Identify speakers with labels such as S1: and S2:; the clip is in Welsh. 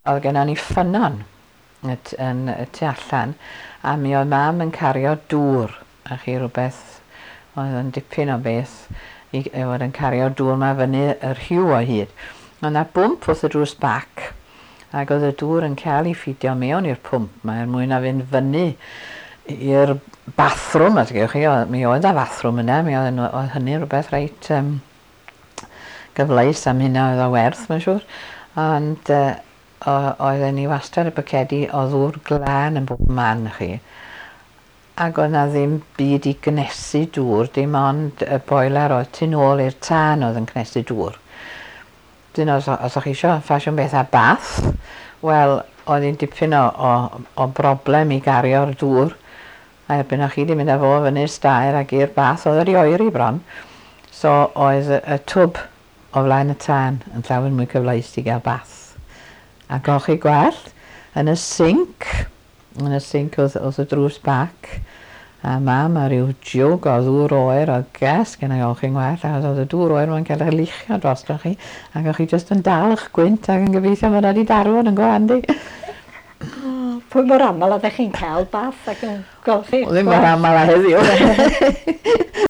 S1: Oedd gennon ni ffynnon yn y tu allan, a mi oedd mam yn cario dŵr, a chi rhywbeth oedd yn dipyn o beth i fod yn cario dŵr 'ma fyny y rhiw o hyd. Oedd 'na bwmp wrth y drws bac, ac oedd y dŵr yn cael ei ffidio mewn i'r pwmp 'ma er mwyn na fynd fyny i'r bathrwm, a gewch chi, mi oedd 'na fathrwm yna, mi oedd, oedd hynny rhywbeth reit gyfleus am hynna oedd o werth, mae'n siŵr. Ond oedden ni wastad y bwcedi o ddŵr glân yn bob man chi. Ac oedd 'na ddim byd i gnesu dŵr, dim ond y boiler oedd tu nôl i'r tân oedd yn cnesu dŵr. Dyn os o'ch chi eisiau ffasiwn beth â bath, wel, oedd hi'n dipyn o broblem i gario'r dŵr. A erbyn o'ch chi wedi mynd â fo fyny'r staer ac i'r bath, oedd wedi oeri bron. So oedd y twb o flaen y tân yn llawer mwy cyfleus i gael bath. A golchi gwallt yn y sinc, yn y sinc wrth y drws bac. A mam a rhyw jwg o ddŵr oer oedd gas gen i olchi'n gwallt, achos oedd y dŵr oer ma'n cael ei luchio drostoch chi, ac o'ch chi jyst yn dal eich gwynt ac yn gobeithio bod wedi darfod yn go handi.
S2: Pwy mor aml oeddech chi'n cael bath ac yn golchi?
S1: Ddim mor aml â heddiw.